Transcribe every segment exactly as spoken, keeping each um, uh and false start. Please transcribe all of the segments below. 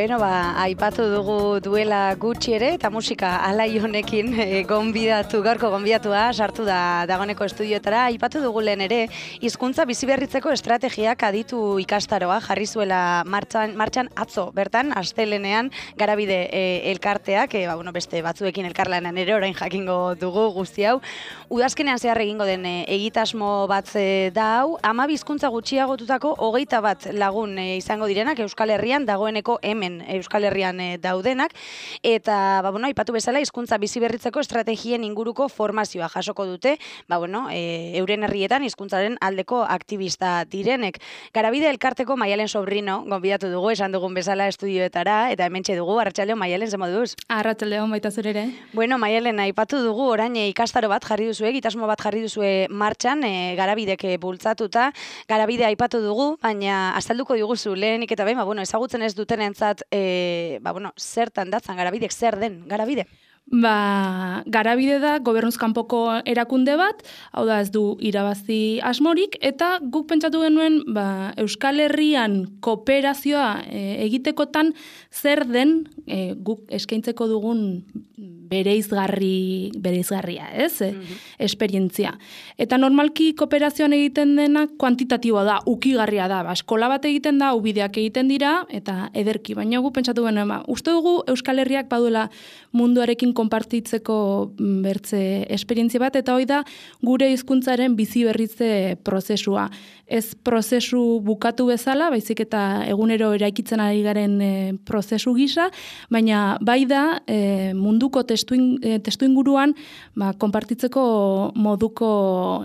Bueno, ba, aipatu dugu duela gutxi ere, eta musika alai honekin e, gonbidatu, gaurko gonbidatua sartu da dagoneko estudioetara. Aipatu dugu lehen ere, hizkuntza biziberritzeko estrategiak aditu ikastaroa jarri zuela martxan, martxan atzo, bertan, astelenean Garabide e, elkarteak, e, ba, bueno, beste batzuekin elkarlanean ere orain jakingo dugu guzti hau. Udazkenean zehar egingo den e, egitasmo bat e, da hau, hamabi hizkuntza gutxiagotutako hogeita bat lagun e, izango direnak Euskal Herrian, dagoeneko hemen Euskal Herrian e, daudenak, eta ba, bueno, aipatu bezala hizkuntza biziberritzeko estrategien inguruko formazioa jasoko dute, ba, bueno, e, euren herrietan hizkuntzaren aldeko aktivista direnek. Garabide elkarteko Maialen Sobrino gonbidatu dugu, esan dugun bezala estudioetara, eta hementxe dugu. Arratsaldeon, Maialen, ze moduz? Arratsaldeon, baita zure ere. Bueno, Maialen, aipatu dugu orain e, ikastaro bat jarri duzue, egitasmo bat jarri duzue martxan, e, Garabidek e, bultzatuta. Garabide aipatu dugu, baina azalduko diguzu lehenik eta behin, ba, bueno, ezagutzen ez dutenentzat, e, ba, bueno, zertan datzan Garabidek, zer den Garabide? Ba, Garabide da gobernuz kanpoko erakunde bat, hau da ez du irabazi asmorik, eta guk pentsatu genuen ba, Euskal Herrian kooperazioa e, egitekotan zer den e, guk eskaintzeko dugun bereizgarri, bereizgarria, ez? Mm-hmm. Esperientzia. Eta normalki kooperazioan egiten dena kuantitatiboa da, ukigarria da. Ba, eskola bat egiten da, ubideak egiten dira, eta ederki. Baina gu pentsatu genuen, ba, uste dugu Euskal Herriak baduela munduarekin konpartitzeko bertze esperientzia bat, eta hoi da gure hizkuntzaren bizi berritze prozesua. Ez prozesu bukatu bezala, baizik eta egunero eraikitzen ari garen e, prozesu gisa, baina bai da e, munduko testu, in, e, testu inguruan ba, konpartitzeko moduko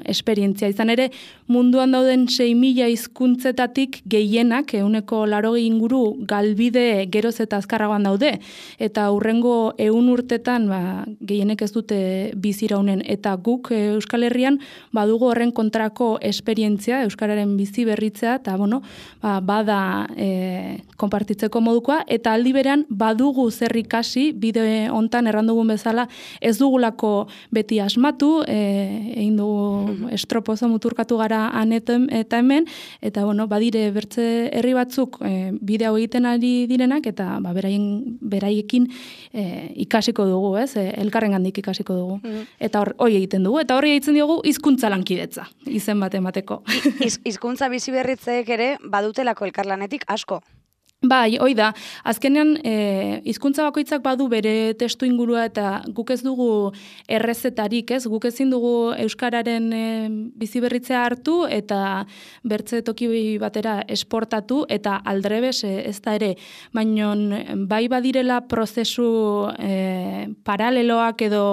esperientzia. Izan ere, munduan dauden sei mila hizkuntzetatik gehienak, ehuneko laurogei inguru galbide geroz eta azkarragoan daude, eta hurrengo ehun urtetan ba, gehienek ez dute biziraunen, eta guk e, Euskal Herrian badugu horren kontrako esperientzia, Euskara bizi berritzea, eta bueno, ba, bada e, konpartitzeko modukoa, eta aldi berean badugu zer ikasi, bide hontan errandugun bezala, ez dugulako beti asmatu, e, egin dugu estropozo muturkatu gara anetem eta hemen, eta bueno, badire bertze herri batzuk e, bide hau egiten ari direnak, eta ba, beraien, beraiekin e, ikasiko dugu, ez? E, elkarren gandik ikasiko dugu. Mm. Eta hori egiten dugu, eta hori egiten diogu hizkuntza lankidetza, izen bat emateko. Hizkuntza biziberritzeek ere badutelako elkarlanetik asko. Bai, hoi da. Azkenean, e, hizkuntza bakoitzak badu bere testu ingurua, eta guk ez dugu errezetarik, ez? Guk ezin dugu euskararen e, biziberritzea hartu eta bertze toki batera esportatu, eta aldrebes e, ez da ere. Baina bai badirela prozesu e, paraleloak edo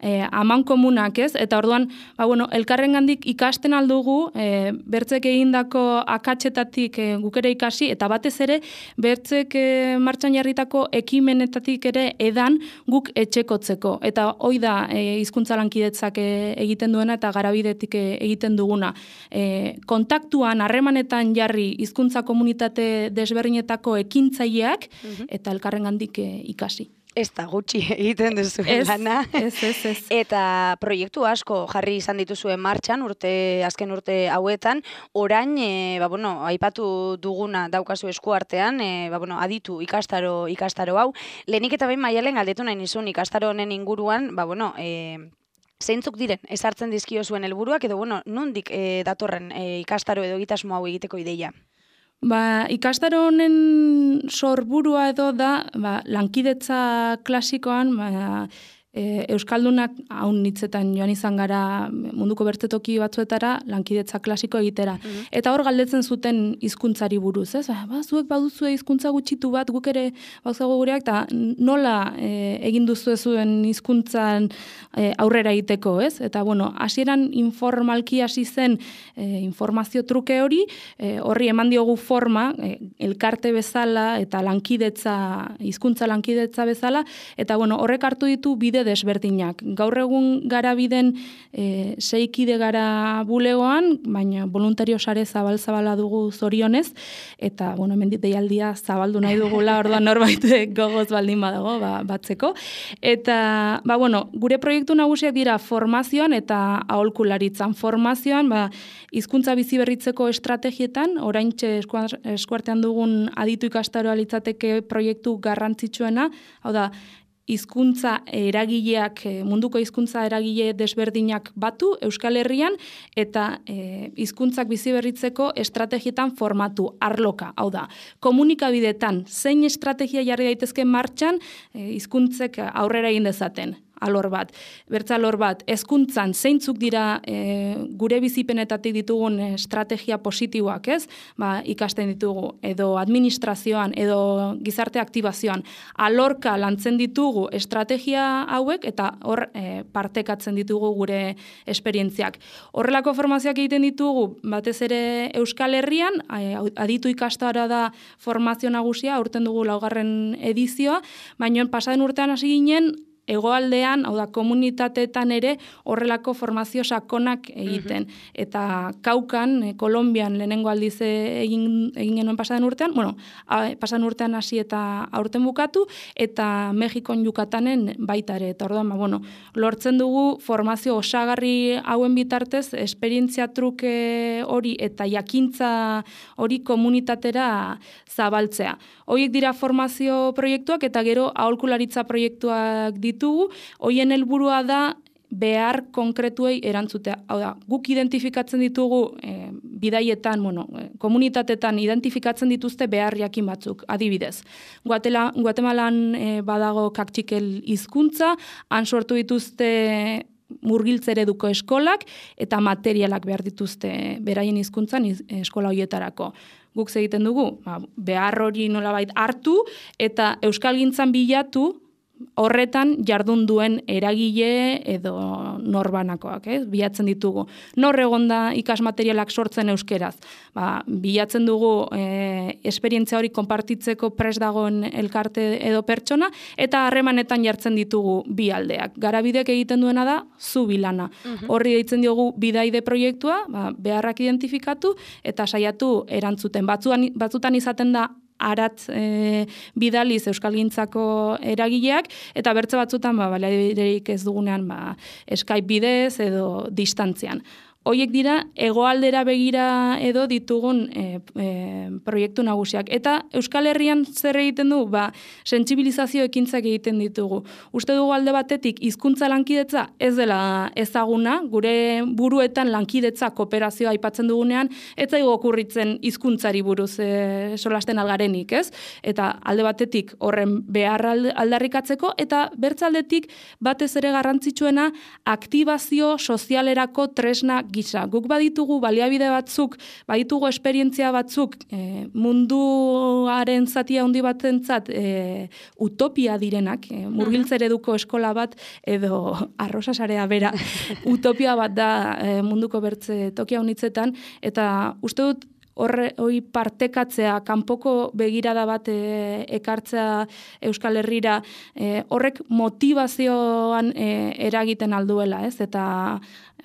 e, amankomunak, ez? Eta orduan, ba, bueno, elkarrengandik ikasten aldugu, e, bertzek egindako akatsetatik e, guk ere ikasi, eta batez ere, bertzek e, martxan jarritako ekimenetatik ere edan guk etxekotzeko. Eta hoi da e, hizkuntza lankidetzak e, egiten duena eta Garabidetik e, egiten duguna. E, kontaktuan, harremanetan jarri hizkuntza komunitate desberdinetako ekintzaileak mm-hmm. eta elkarrengandik e, ikasi. Ez da gutxi egiten duzu lana. Ez, ez, ez. Eta proiektu asko jarri izan dituzuen martxan, urte, azken urte hauetan, orain, e, ba, bueno, aipatu duguna daukazu eskuartean, e, ba, bueno, aditu ikastaro, ikastaro hau. Lehenik eta behin Maialen galdetu nahi nizun ikastaro honen inguruan, ba, bueno, e, zeintzuk diren ezartzen dizkio zuen helburuak, edo, bueno, nondik e, datorren e, ikastaro edo egitasmo hau egiteko ideia? Ba, ikastaro honen sorburua edo da, ba, lankidetza klasikoan, ba, e, Euskaldunak haun hitzetan joan izan gara munduko bertzetoki batzuetara lankidetza klasiko egitera. Mm-hmm. Eta hor galdetzen zuten hizkuntzari buruz, ez? Ba, zuek baduzue hizkuntza gutxitu bat, guk ere bauzago gureak, eta nola e, egin duzu zuen hizkuntzan e, aurrera egiteko, ez? Eta, bueno, hasieran informalki hasi zen e, informazio truke hori, e, horri eman diogu forma, e, elkarte bezala eta lankidetza, hizkuntza lankidetza bezala, eta, bueno, horrek hartu ditu bide eragikide desberdinak. Gaur egun garabiden e, seikide gara bulegoan, baina voluntario sare zabal-zabala dugu zorionez, eta, bueno, hemen deialdia zabaldu nahi dugula, orduan norbait gogoz baldin badago, ba, batzeko. Eta, ba, bueno, gure proiektu nagusiak dira formazioan eta aholkularitzan. Formazioan, ba, hizkuntza bizi berritzeko estrategietan, oraintxe eskuartean dugun aditu ikastaroa litzateke proiektu garrantzitsuena, hau da, hizkuntza eragileak, munduko hizkuntza eragile desberdinak batu Euskal Herrian, eta e, hizkuntzak bizi berritzeko estrategietan formatu, arloka, hau da, komunikabidetan zein estrategia jarri daitezke martxan e, hizkuntzek aurrera egin dezaten. Alor bat. Bertza alor bat, hezkuntzan zeintzuk dira e, gure bizipenetatik ditugun estrategia positiboak, ez? Ba, ikasten ditugu, edo administrazioan, edo gizarte aktibazioan. Alorka lantzen ditugu estrategia hauek, eta hor e, partekatzen ditugu gure esperientziak. Horrelako formazioak egiten ditugu, batez ere Euskal Herrian, aditu ikastara da formazio nagusia, aurten dugu laugarren edizioa, baina pasaden urtean hasi ginen, hegoaldean, hau da, komunitateetan ere horrelako formazio sakonak egiten. Uh-huh. Eta Kaukan, eh, Kolonbian lehenengo aldiz egin, egin genuen pasaden urtean, bueno, pasaden urtean hasi eta aurten bukatu, eta Mexikon Yukatanen baita ere. Eta orduan, ba, bueno, lortzen dugu formazio osagarri hauen bitartez, esperientzia truke hori eta jakintza hori komunitatera zabaltzea. Horiek dira formazio proiektuak, eta gero aholkularitza proiektuak ditugu, hoien helburua da behar konkretuei erantzutea. Hau da, guk identifikatzen ditugu e, bidaietan, bueno, komunitatetan identifikatzen dituzte behar jakin batzuk, adibidez. Guatela, Guatemalan e, badago kaktxikel hizkuntza, han sortu dituzte murgiltzereduko eskolak eta materialak behar dituzte beraien hizkuntzan eskola hoietarako. Guk egiten dugu, ba, behar hori nolabait hartu eta euskalgintzan bilatu horretan jardun duen eragile edo norbanakoak, eh? Bilatzen ditugu. Nor egonda ikasmaterialak sortzen euskeraz. Ba, bilatzen dugu e, esperientzia hori konpartitzeko prest dagoen elkarte edo pertsona, eta harremanetan jartzen ditugu bi aldeak. Garabidek egiten duena da, zu bilana. Uh-huh. Horri deitzen diogu bidaide proiektua, ba, beharrak identifikatu, eta saiatu erantzuten. Batzuan, batzutan izaten da, arat e, bidaliz euskalgintzako eragileak, eta bertze batzutan ba, baliabiderik ez dugunean ba, Skype bidez edo distantzian. Hoiek dira hegoaldera begira edo ditugun e, e, proiektu nagusiak. Eta Euskal Herrian zer egiten du? Ba, sentsibilizazio ekintzak egiten ditugu. Uste dugu alde batetik hizkuntza lankidetza ez dela ezaguna, gure buruetan lankidetza kooperazioa aipatzen dugunean, ez zaigu okurritzen hizkuntzari buruz e, solasten algarenik, ez? Eta alde batetik horren behar aldarrikatzeko, eta bertzaldetik batez ere garrantzitsuena aktibazio sozialerako tresna gisa. Guk baditugu baliabide batzuk, baditugu esperientzia batzuk e, munduaren zatia handi batentzat e, utopia direnak, e, murgiltzereduko eskola bat edo arrosasarea bera utopia bat da e, munduko bertze tokia honitzetan, eta uste dut horre hori partekatzea, kanpoko begirada bat e, ekartzea Euskal Herrira, e, horrek motivazioan e, eragiten alduela, ez? Eta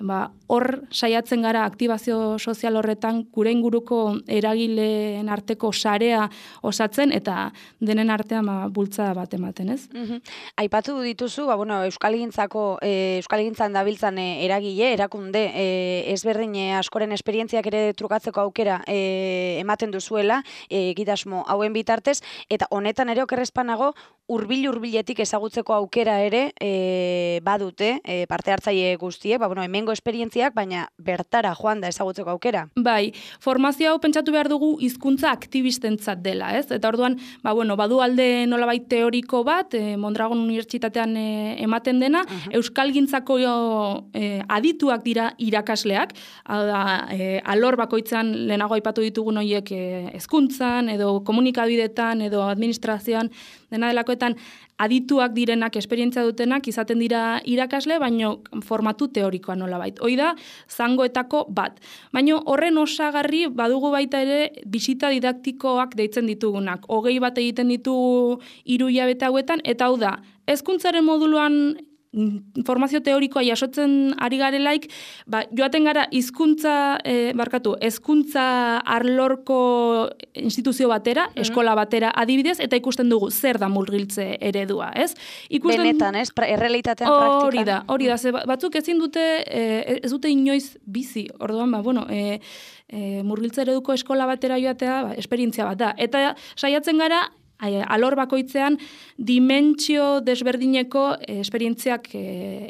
ba, hor saiatzen gara aktibazio sozial horretan gure inguruko eragileen arteko sarea osatzen eta denen artean ba, bultzada bat ematen, ez? Uh-huh. Aipatu dituzu, ba, bueno, Euskalgintzako, e, Euskalgintzan dabiltzan e, eragile, erakunde, e, ezberdin e, askoren esperientziak ere trukatzeko aukera e, ematen duzuela, e, egitasmo hauen bitartez, eta honetan ere okerrezpanago, hurbil-hurbiletik ezagutzeko aukera ere e, badute e, parte hartzaile guztiek, ba, bueno, hemengo esperientziak, baina bertara joan da ezagutzeko aukera. Bai, formazio hau pentsatu behar dugu hizkuntza aktibistentzat dela, ez? Eta orduan, ba, bueno, badu alde nolabait teoriko bat, e, Mondragon Unibertsitatean e, ematen dena, uh-huh. Euskalgintzako e, adituak dira irakasleak, da, e, alor bakoitzan lehenago aipatu ditugun horiek e, hezkuntzan edo komunikabidetan edo administrazioan, dena delakoetan adituak direnak, esperientzia dutenak, izaten dira irakasle, baino formatu teorikoa nolabait. Hoi da, zangoetako bat. Baino horren osagarri badugu baita ere bisita didaktikoak deitzen ditugunak. Hogei bat egiten ditugu hiru hilabete hauetan, eta hau da, hezkuntzaren moduluan informazio teorikoa jasotzen ari garelaik, ba, joaten gara hizkuntza e, barkatu, hezkuntza arlorko instituzio batera, mm-hmm. eskola batera adibidez, eta ikusten dugu zer da murgiltze eredua, ez? Ikusten... Benetan, ez? Errealitatean praktikan. Hori da, hori da, ze batzuk ezin dute, e, ez dute inoiz bizi, orduan, ba, bueno, e, e, murgiltze ereduko eskola batera joatea, ba, esperientzia bat da. Eta saiatzen gara, alor bakoitzean dimentsio desberdineko esperientziak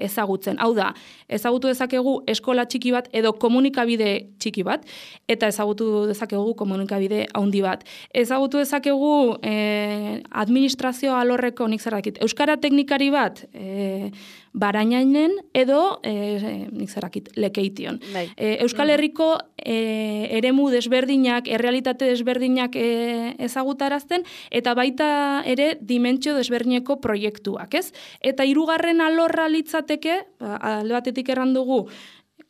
ezagutzen. Hau da, ezagutu dezakegu eskola txiki bat edo komunikabide txiki bat, eta ezagutu dezakegu komunikabide handi bat. Ezagutu dezakegu eh, administrazio alorreko nik zerakit. Euskara teknikari bat eh, Barainainen edo eh, nik zerakit Lekeition. Bai. Eh, Euskal Herriko eh, eremu desberdinak, errealitate desberdinak eh, ezagutarazten, eta baita ere dimentsio desberdineko proiektuak, ez? Eta hirugarren alorra litzateke, alde batetik erran dugu,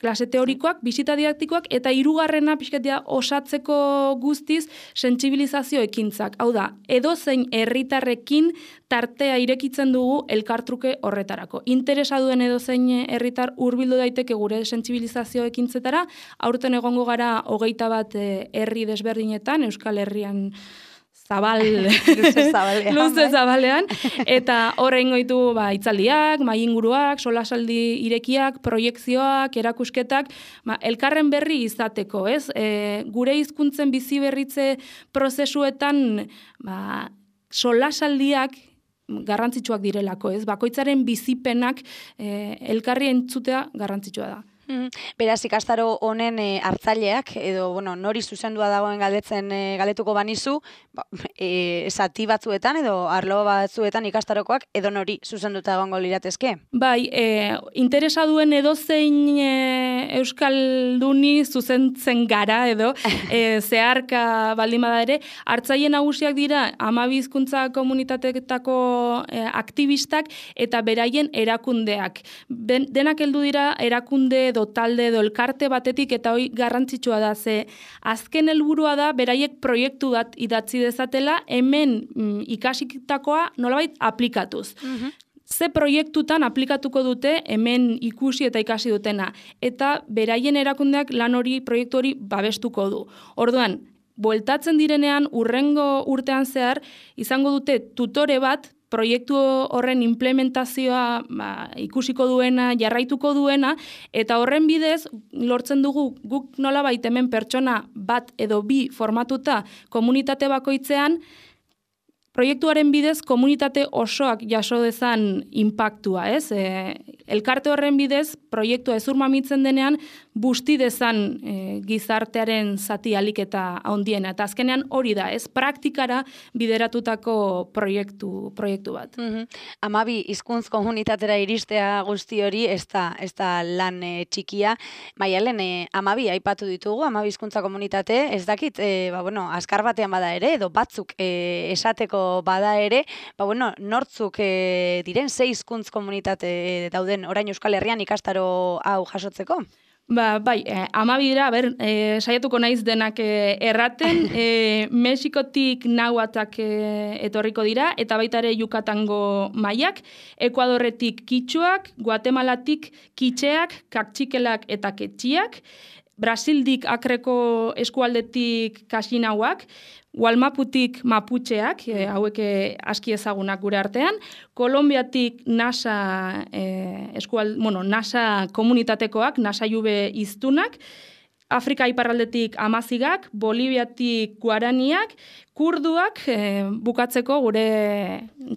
klase teorikoak, bisita didaktikoak, eta hirugarrena pixkatia osatzeko guztiz sentsibilizazio ekintzak. Hau da, edozein herritarrekin tartea irekitzen dugu elkartruke horretarako. Interesa duen edozein herritar hurbildu daiteke gure sentsibilizazio ekintzetara, aurten egongo gara hogeita bat herri desberdinetan, Euskal Herrian zabal, luze zabalean, luze zabalean, eta horrein goitu ba, itzaldiak, mainguruak, solasaldi irekiak, proiekzioak, erakusketak, ba, elkarren berri izateko, ez? E, gure hizkuntzen bizi berritze prozesuetan ba, solasaldiak garrantzitsuak direlako, ez? Bakoitzaren bizipenak e, elkarri entzutea garrantzitsua da. Beraz, ikastaro honen e, hartzaileak, edo, bueno, nori zuzendua dagoen galdetzen e, galdetuko banizu, ba, e, zati batzuetan, edo arlo batzuetan ikastarokoak, edo nori zuzenduta egongo liratezke? Bai, e, interesa duen edozein e, euskalduni zuzentzen gara, edo, e, zeharka baldin bada ere, hartzaile nagusiak dira hamabi hizkuntza komunitateetako e, aktivistak eta beraien erakundeak. Ben, denak heldu dira erakunde edo talde edo elkarte batetik, eta hoi garrantzitsua da, ze azken helburua da beraiek proiektu bat idatzi dezatela, hemen mm, ikasitakoa nolabait aplikatuz. Mm-hmm. Ze proiektutan aplikatuko dute hemen ikusi eta ikasi dutena, eta beraien erakundeak lan hori, proiektu hori babestuko du. Orduan, bueltatzen direnean urrengo urtean zehar izango dute tutore bat, proiektu horren implementazioa ba, ikusiko duena, jarraituko duena, eta horren bidez lortzen dugu guk nolabait hemen pertsona bat edo bi formatuta komunitate bakoitzean, proiektuaren bidez komunitate osoak jaso dezan inpaktua, ez? E, elkarte horren bidez proiektua ezurmamitzen denean busti dezan e, gizartearen zati alik eta handiena. Eta azkenean hori da, ez? Praktikara bideratutako proiektu, proiektu bat. Mm-hmm. Hamabi hizkuntz komunitatera iristea guzti hori ez da, ez da lan e, txikia. Maialen, e, hamabi aipatu ditugu, hamabi hizkuntza komunitate, ez dakit, e, ba, bueno, azkar batean bada ere, edo batzuk e, esateko bada ere, ba, bueno, nortzuk e, diren sei hizkuntz komunitate e, dauden orain Euskal Herrian ikastaro hau jasotzeko? Ba, bai, eh, amabidera, ber, eh, saiatuko naiz denak eh, erraten, eh, Mexikotik nahuatak eh, etorriko dira, eta baita ere Yucatango maiak, Ekuadorretik kitxuak, Guatemalatik kitxeak, kaktsikelak eta ketxiak, Brasildik akreko eskualdetik kaxinauak, Walmaputik maputxeak, e, hauek aski ezagunak gure artean, Kolombiatik nasa, e, eskual, bueno, nasa komunitatekoak, nasa jube iztunak, Afrika iparraldetik amazigak, Boliviatik guaraniak, kurduak, e, bukatzeko gure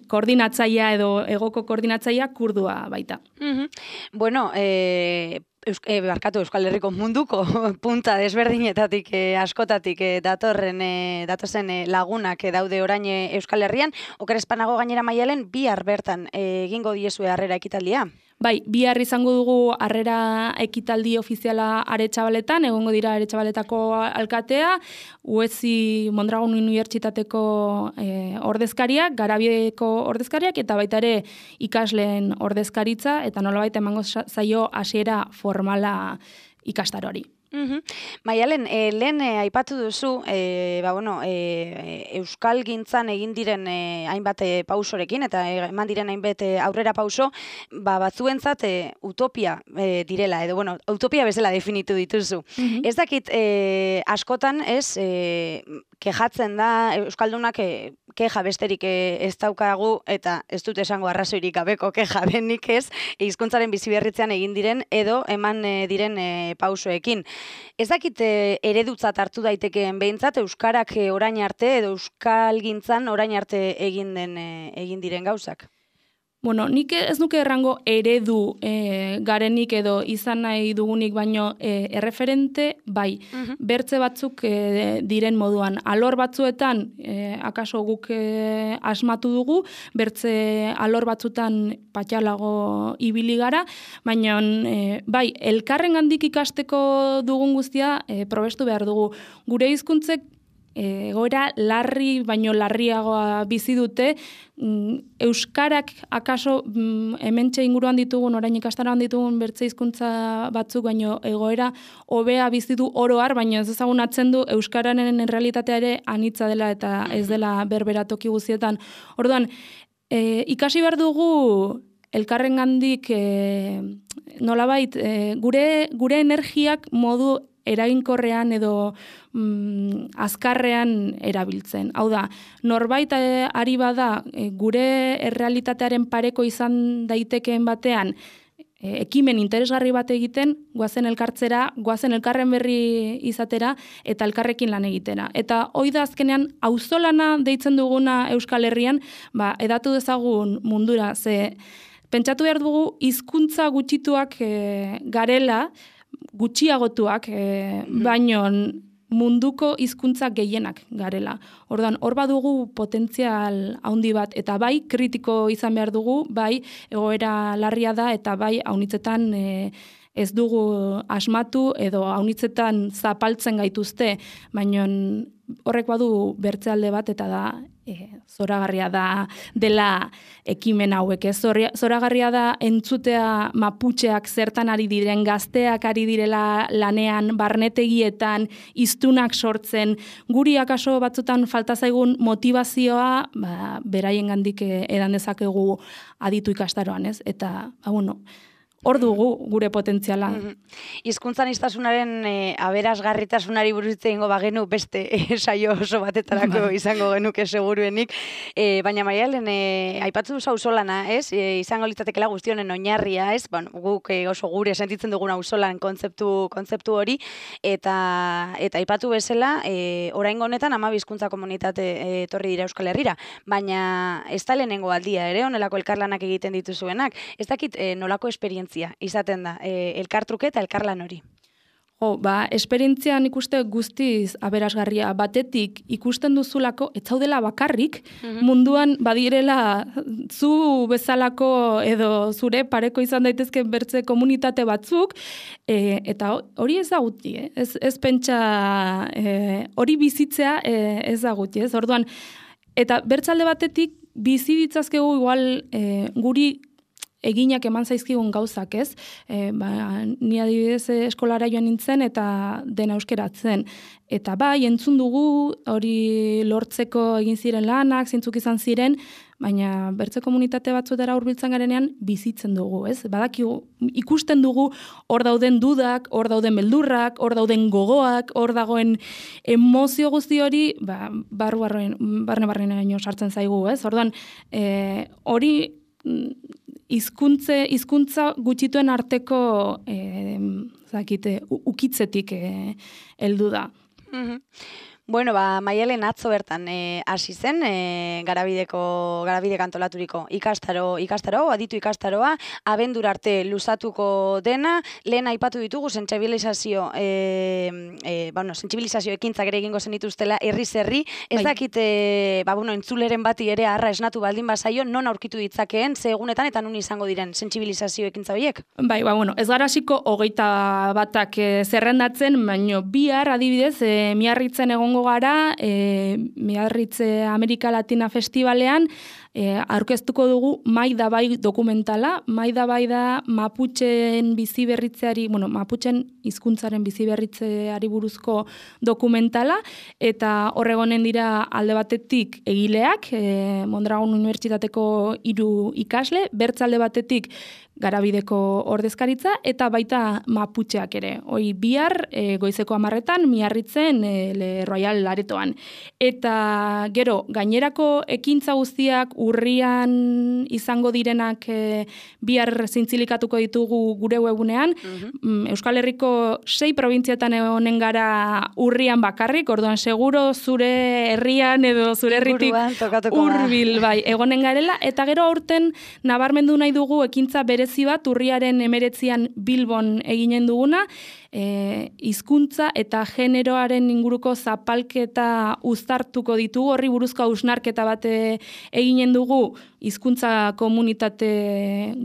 koordinatzaia edo egoko koordinatzaia kurdua baita. Mm-hmm. Bueno, e, Eus, e, barkatu Euskal Herriko munduko punta desberdinetatik e, askotatik e, datorren e, datozen e, lagunak e, daude orain e, Euskal Herrian, oker espanago gainera Maialen bihar bertan e, egingo diezue harrera ekitaldia. Bai, bihar izango dugu harrera ekitaldi ofiziala Aretxabaletan, egongo dira Aretxabaletako alkatea, U E S I Mondragon Unibertsitateko e, ordezkariak, Garabieko ordezkariak, eta baita ere ikasleen ordezkaritza, eta nolabait emango zaio hasiera formala ikastaroari. Mhm. Maialen, e, lehen e, aipatu duzu, e, ba, bueno, e, Euskal Gintzan egin diren e, hainbat e, pausorekin, eta e, eman diren hainbat e, aurrera pauso, ba, batzuentzat e, utopia e, direla, edo, bueno, utopia bezala definitu dituzu. Mhm. Ez dakit, e, askotan, ez, e, kejatzen da, Euskaldunak e, keja besterik e, ez daukagu, eta ez dut esango arrazoirik gabeko keja denik ez, hizkuntzaren biziberritzean egin diren, edo eman e, diren e, pausoekin. Ez dakit eredutzat hartu daitekeen behintzat euskarak orain arte edo Euskal Gintzan orain arte egin den egin diren gauzak. Bueno, nik ez nuke errango eredu e, garenik edo izan nahi dugunik, baino e, erreferente bai. Uh-huh. Bertze batzuk e, diren moduan. Alor batzuetan, e, akaso guk e, asmatu dugu, bertze alor batzutan patxalago ibili gara, baina e, bai, elkarren gandik ikasteko dugun guztia e, probestu behar dugu. Gure hizkuntzek egoera larri baino larriagoa bizi dute, euskarak akaso hementxe inguruan ditugun, orain ikastaroan ditugun bertze hizkuntza batzuk baino egoera hobea bizi du oro har, baino ez ezagunatzen du euskararen errealitatea ere anitza dela eta ez dela berbera toki guztietan. Orduan, e, ikasi behar dugu elkarrengandik e, nolabait e, gure gure energiak modu eraginkorrean edo mm, azkarrean erabiltzen. Hau da, norbait e, ari bada e, gure errealitatearen pareko izan daitekeen batean e, ekimen interesgarri bat egiten, goazen elkartzera, goazen elkarren berri izatera eta elkarrekin lan egitera. Eta hoi da azkenean auzolana deitzen duguna Euskal Herrian, ba, edatu dezagun mundura, ze pentsatu behar dugu hizkuntza gutxituak e, garela, gutxiagotuak, e, baino munduko hizkuntza gehienak garela. Orduan, hor badugu potentzial handi bat, eta bai kritiko izan behar dugu, bai egoera larria da, eta bai haunitzetan e, ez dugu asmatu, edo haunitzetan zapaltzen gaituzte, baino horrek badu bertze alde bat, eta da e, zoragarria da dela ekimen hauek. Ez zoragarria da entzutea maputxeak zertan ari diren, gazteak ari direla lanean, barnetegietan, hiztunak sortzen, guri akaso batzutan falta zaigun motivazioa, ba, beraien gandik edan dezakegu aditu ikastaroan, ez? Eta, ba, bueno, hor dugu gure potentziala. Hizkuntzaniztasunaren e, aberasgarritasunari buruz hitz egingo bagenu beste e, saio oso batetarako izango genuke seguruenik. E, baina Maialen, e, aipatu duzu auzolana, ez? E, izango litzatekela guztionen oinarria, ez? Bueno, guk e, oso gure sentitzen dugun auzolan kontzeptu kontzeptu hori eta eta aipatu bezala, e, oraingo honetan hamabi hizkuntza komunitate e, etorri dira Euskal Herrira, baina ez da lehenengo aldia ere honelako elkarlanak egiten dituzuenak. Ez dakit e, nolako esperientzia izaten da, e, elkartruke eta elkarlan hori. Jo, ba, esperientzian ikuste guztiz aberasgarria. Batetik ikusten duzulako, ez zaudela bakarrik, mm-hmm. munduan badirela zu bezalako edo zure pareko izan daitezke bertze komunitate batzuk, e, eta hori ez da guti, eh? ez, ez pentsa e, hori bizitzea e, ez da guti, ez? Orduan, eta bertzalde batetik bizi ditzazkegu igual e, guri eginak eman zaizkigun gauzak, ez? E, ba, ni adibidez eskolara joan nintzen eta dena euskeratzen. Eta bai, entzun dugu hori lortzeko egin ziren lanak, zintzuk izan ziren, baina bertze komunitate batzuetara hurbiltzen garenean bizitzen dugu, ez? Badakigu, ikusten dugu hor dauden dudak, hor dauden beldurrak, hor dauden gogoak, hor dagoen emozio guzti hori, ba, barru-barren, barne-barrenaino sartzen zaigu, ez? Orduan, e, hori hizkuntze hizkuntza gutxituen arteko eh, zakite, ukitzetik eh, heldu da. Mm-hmm. Bueno, ba, Maialen atzo bertan hasi e, zen, e, garabideko, garabidek antolaturiko ikastaro, ikastaro, aditu ikastaroa, abendura arte luzatuko dena, lehen aipatu ditugu, sentsibilizazio, e, e, bueno, sentsibilizazio ekintzak ere egingo zenituztela, herriz herri, ez dakit, e, ba, bueno, entzuleren bati ere arra esnatu baldin bazaio, non aurkitu ditzakeen, ze egunetan eta nun izango diren sentsibilizazio ekintza horiek? Bai, ba, bueno, ez gara hasiko hogeita batak e, zerrendatzen, baino bihar adibidez, e, Miarritzen egongo gara, e, Miarritze Amerika Latina Festivalean, e, aurkeztuko dugu Mai da bai dokumentala. Mai da bai da Maputxeen bizi berritzeari, bueno, Maputxen hizkuntzaren bizi berritzeari buruzko dokumentala, eta horregonen dira alde batetik egileak, e, Mondragon Unibertsitateko hiru ikasle, bertze alde batetik Garabideko ordezkaritza, eta baita Maputxeak ere. Hoi bihar, e, goizeko hamarretan, Miarritzen, e, Le Royal Aretoan. Eta gero, gainerako ekintza guztiak urrian izango direnak e, bihar zintzilikatuko ditugu gure webunean. Mm-hmm. Euskal Herriko sei probintziatan honen gara urrian bakarrik, orduan seguro zure herrian edo zure herritik hurbil bai, egonen garela, eta gero aurten nabarmendu nahi dugu ekintza berez bat urriaren emeretzian Bilbon eginen duguna, e, hizkuntza eta generoaren inguruko zapalketa uztartuko ditugu, horri buruzko hausnarketa bat eginen dugu hizkuntza komunitate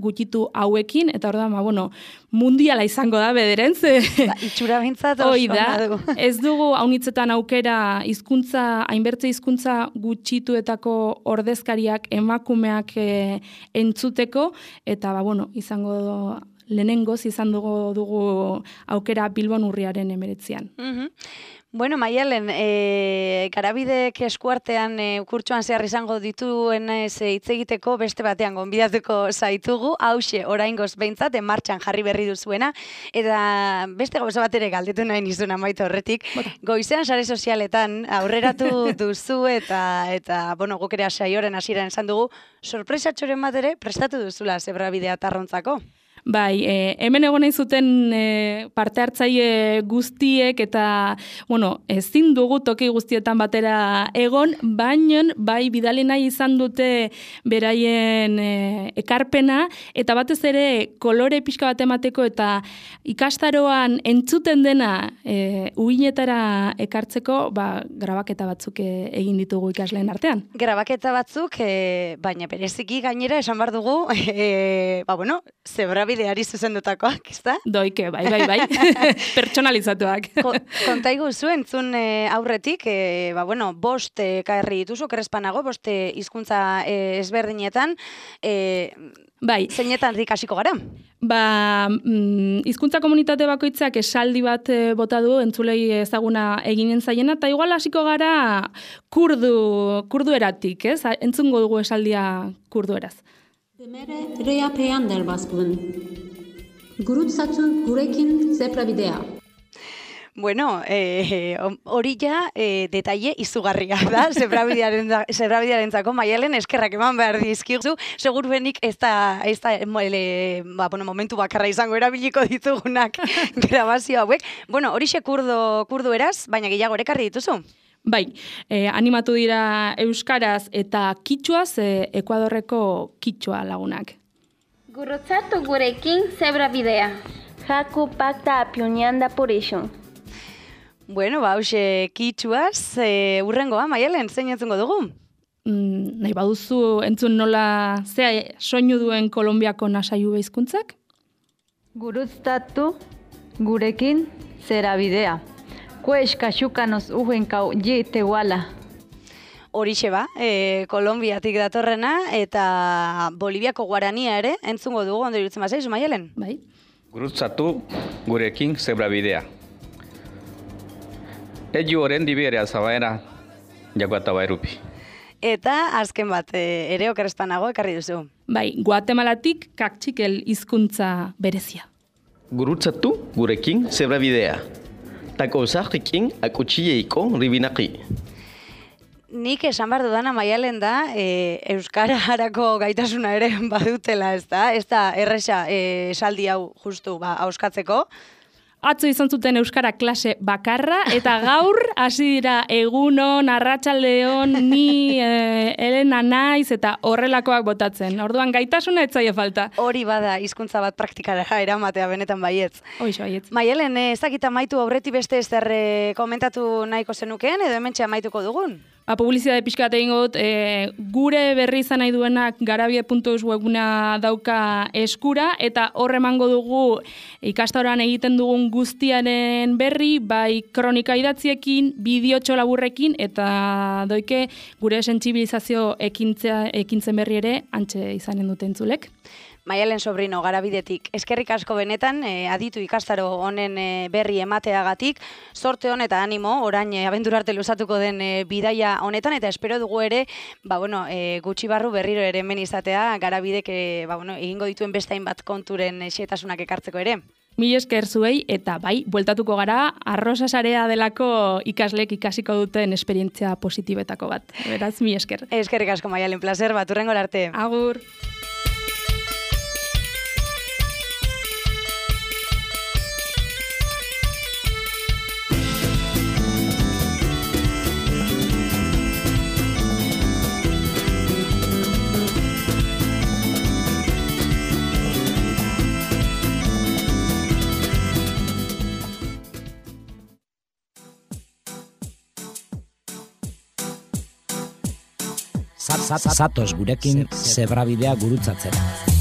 gutxitu hauekin, eta orduan, ba, bueno, mundiala izango da bederen, ze... Ba, itxura bintzat oso da, ez dugu haunitzetan aukera hizkuntza, hainbertze hizkuntza gutxituetako ordezkariak emakumeak e, entzuteko, eta, ba, bueno, izango lehenengoz izan dugu, dugu aukera Bilbon urriaren emeretzian. Mm-hmm. Bueno, Maialen, e, Garabidek eskuartean e, kurtsuan zehar izango dituen ez hitz egiteko beste batean gonbidatuko zaitugu, hauxe oraingoz behintzat martxan jarri berri duzuena, eta beste gauza bat ere galdetu nahi nizun amaitu horretik, goizean sare sozialetan aurreratu duzu eta, eta bueno, guk ere saioaren hasieran esan dugu, sorpresatxoren bat ere prestatu duzula Zebrabidea Tarrontzako. Bai, e, hemen egon nahi zuten e, parte hartzaile guztiek eta, bueno, ezin dugu toki guztietan batera egon, baina bai bidali nahi izan dute beraien e, ekarpena, eta batez ere kolore pixka bat emateko eta ikastaroan entzuten dena e, uinetara ekartzeko, ba, grabaketa batzuk e, egin ditugu ikasleen artean. Grabaketa batzuk, e, baina bereziki gainera esan bar dugu, e, ba, bueno, Zebrabide Bideari zuzendutakoak, ezta? Doike, bai, bai, bai. Pertsonalizatuak. Ko, kontaigu zuen, zun e, aurretik, e, ba, bueno, bost e, kaerri dituzu, kerrespanago, bost e, hizkuntza e, ezberdinetan, e, bai. Zeinetan ikasiko gara? Ba, mm, hizkuntza komunitate bakoitzak esaldi bat e, bota du, entzulei ezaguna eginen zaiena, eta igual hasiko gara kurdu, kurdu eratik, ez? Entzungo dugu esaldia kurdu eraz. Demere reapean delbazpun. Gurutzatu gurekin Zebrabidea. Bueno, hori eh, ja eh, detaile izugarria da, Zebrabidearentzako Maialen eskerrak eman behar dizkizu, seguruenik ez da, ez da ele, ba, bueno, momentu bakarra izango erabiliko ditugunak grabazio hauek. Bueno, horixe kurdo, kurdo eraz, baina gehiago ekarri dituzu? Bai, eh, animatu dira euskaraz eta kitxuaz, eh, Ekuadorreko kitxua lagunak. Gurutzatu gurekin Zebrabidea. Jaku pakta apionian da porixon. Bueno, ba, hause kitxuaz, e, urrengoa, Maialen, zein entzungo dugu? Mm, nahi baduzu entzun nola zea soinu duen Kolonbiako nasaiu hizkuntzak? Gurutzatu gurekin Zebrabidea. Kues kaxukanos ujenkau ji tehuala. Horixe ba, e, Kolonbiatik datorrena eta Boliviako guarania ere entzungo dugu, ondo irutzen bazaizu, Maialen? Bai. Gurutzatu gurekin Zebrabidea. Eju oren diberea zabaera, jakuata bairupi. Eta azken bat, e, ere okerrespanago ekarri duzu. Bai, Guatemalatik kaktxikel hizkuntza berezia. Gurutzatu gurekin Zebrabidea. Tako zahikin akutxieiko ribinaki. Nik esan behar dudana Maialen da, e, Euskararako gaitasuna ere badutela, ez da? Ez da erresa e, esaldi hau justu ba, auskatzeko. Atzo izan zuten euskara klase bakarra, eta gaur hasi dira egunon, arratsaldeon, ni e, Elena naiz, eta horrelakoak botatzen. Orduan gaitasuna ez zaie falta. Hori bada hizkuntza bat praktikara eramatea benetan baietz. Hoiz baietz. Maialen, ez dakit amaitu aurreti beste ezer komentatu nahiko zenukeen, edo hementxe amaituko dugun? Ba, publizitate pixka bat egingo dut, e, gure berri izan nahi duenak garabide puntu eus webguna dauka eskura, eta hor emango dugu ikastaroan egiten dugun guztiaren berri, bai kronika idatziekin, bideotxo laburrekin, eta doike gure sentsibilizazio ekintzea, ekintzen berri ere antxe izanen duten zulek. Maialen Sobrino, Garabidetik, eskerrik asko benetan, eh, aditu ikastaro honen eh, berri emateagatik, sorte hon eta animo, orain eh, abentura arte luzatuko den eh, bidaia honetan, eta espero dugu ere, ba, bueno, eh, gutxi barru berriro ere hemen izatea, Garabidek eh, ba, bueno, egingo dituen beste hainbat konturen eh, xetasunak ekartzeko ere. Mil esker zuei, eta bai, bueltatuko gara, arrosa sarea delako ikaslek ikasiko duten esperientzia positibetako bat. Beraz, mil esker. Eskerrik asko, Maialen, placer, bat urrengo arte. Agur. Zatoz gurekin zebrabidea gurutzatzera.